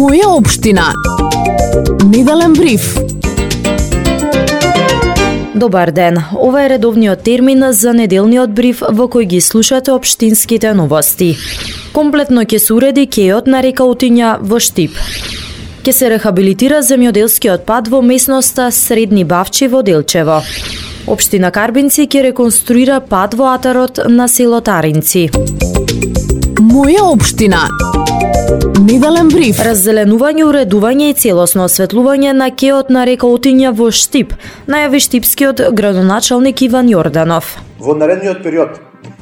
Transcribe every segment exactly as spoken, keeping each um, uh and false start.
Моја општина. Неделен бриф. Добар ден. Ова е редовниот термин за неделниот бриф во кој ги слушате општинските новости. Комплетно ќе се уреди кејот на река Утиња во Штип. Ќе се рехабилитира земјоделскиот пат во местноста Средни Бавчи во Делчево. Општина Карбинци ќе реконструира пат во атарот на село Таринци. Моја општина. Неделен бриф. Раззеленување, уредување и целосно осветлување на кејот на река Утиња во Штип, најави штипскиот градоначалник Иван Јорданов. Во наредниот период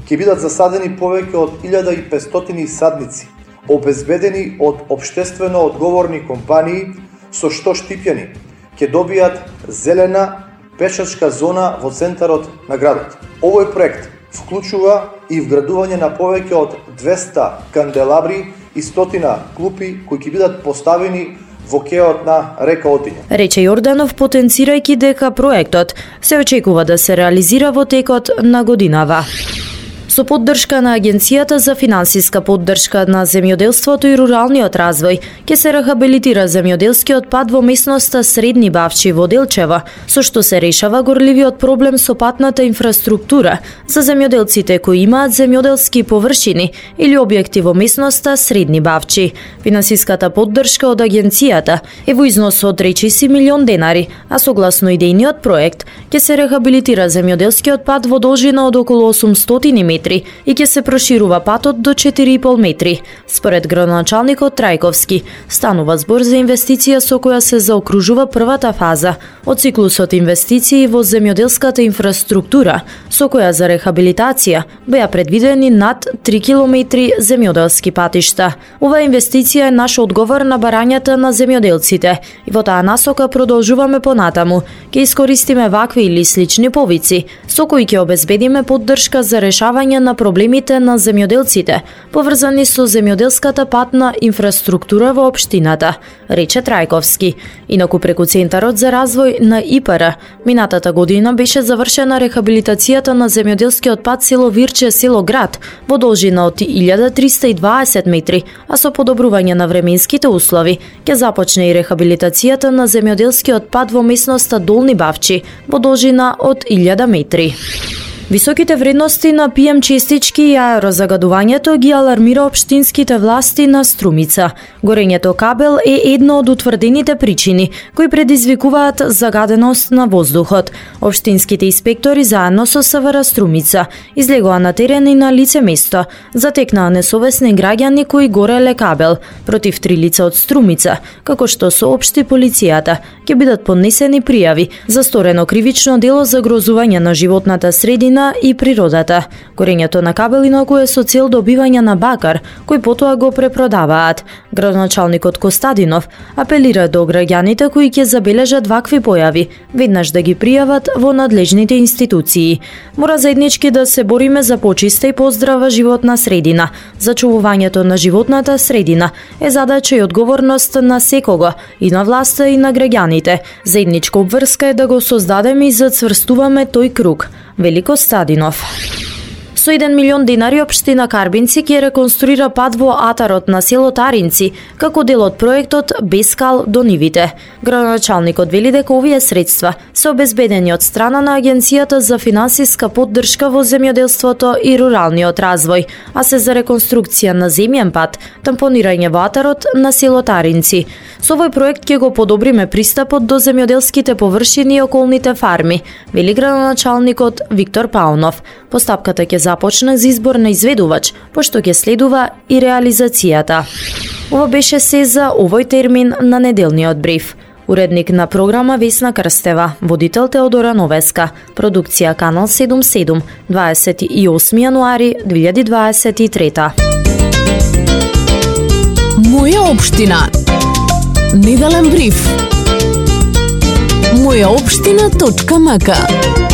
ќе бидат засадени повеќе од илјада и петстотини садници, обезбедени од општествено одговорни компании, со што штипјани ќе добијат зелена пешачка зона во центарот на градот. Овој проект вклучува и вградување на повеќе од двеста канделабри и стотина клупи кои ќе бидат поставени во кејот на река Утиња. Рече Јорданов, потенцирајќи дека проектот се очекува да се реализира во текот на годинава. Со поддршка на Агенцијата за финансиска поддршка на земјоделството и руралниот развој ќе се рехабилитира земјоделскиот пат во местноста Средни Бавчи во Делчево, со што се решава горливиот проблем со патната инфраструктура за земјоделците кои имаат земјоделски површини или објекти во местноста Средни Бавчи. Финансиската поддршка од Агенцијата е во износ од речиси милион денари, а согласно идејниот проект ќе се рехабилитира земјоделскиот пат во должина од околу осумстотини метри и ќе се проширува патот до четири и пол метри. Според градоначалникот Трајковски, станува збор за инвестиција со која се заокружува првата фаза од циклусот инвестиции во земјоделската инфраструктура, со која за рехабилитација беа предвидени над три километри земјоделски патишта. Оваа инвестиција е наш одговор на барањата на земјоделците и во таа насока продолжуваме понатаму. Ќе искористиме вакви или слични повици, со кои ќе обезбедиме поддршка за решавање на проблемите на земјоделците, поврзани со земјоделската патна инфраструктура во општината, рече Трајковски. Инаку преку Центарот за развој на И П Р, минатата година беше завршена рехабилитацијата на земјоделскиот пат село Вирче, село Град, во должина од илјада триста и дваесет метри, а со подобрување на временските услови ќе започне и рехабилитацијата на земјоделскиот пат во местноста Долни Бавчи, во должина од илјада метри. Високите вредности на пи ем честички и аерозагадувањето ги алармира општинските власти на Струмица. Горењето кабел е едно од утврдените причини кои предизвикуваат загаденост на воздухот. Општинските инспектори заедно со С В Р Струмица излегоа на терен и на лице место, затекнаа несовесни граѓани кои гореле кабел против три лица од Струмица, како што соопшти полицијата. Ќе бидат поднесени пријави за сторено кривично дело за грозување на животната средина и природата. Горењето на кабел инаку е со цел добивање на бакар, кој потоа го препродаваат. Градоначалникот Костадинов апелира до граѓаните кои ќе забележат вакви појави, веднаш да ги пријават во надлежните институции. Мора заеднички да се бориме за почиста и поздрава животна средина. Зачувувањето на животната средина е задача и одговорност на секого, и на власта и на граѓаните. Заедничка обврска е да го создадеме и зацврстуваме тој круг, вели Костадинов. Со еден милион денари општина Карбинци ќе реконструира пат во атарот на село Таринци, како дел од проектот Без кал до нивите. Градоначалникот вели дека овие средства се обезбедени од страна на Агенцијата за финансиска поддршка во земјоделството и руралниот развој, а се за реконструкција на земјен пат, тампонирање во атарот на село Таринци. Со овој проект ќе го подобриме пристапот до земјоделските површини и околните фарми, вели градоначалникот Виктор Паунов. Постапката ќе започне за избор на изведувач, пошто ќе следува и реализацијата. Ова беше се за овој термин на неделниот бриф. Уредник на програма Весна Крстева, водител Теодора Новеска, продукција Канал седумдесет и седум, дваесет и осми јануари две илјади дваесет и трета. Моја општина. Неделен бриф. моја општина точка м к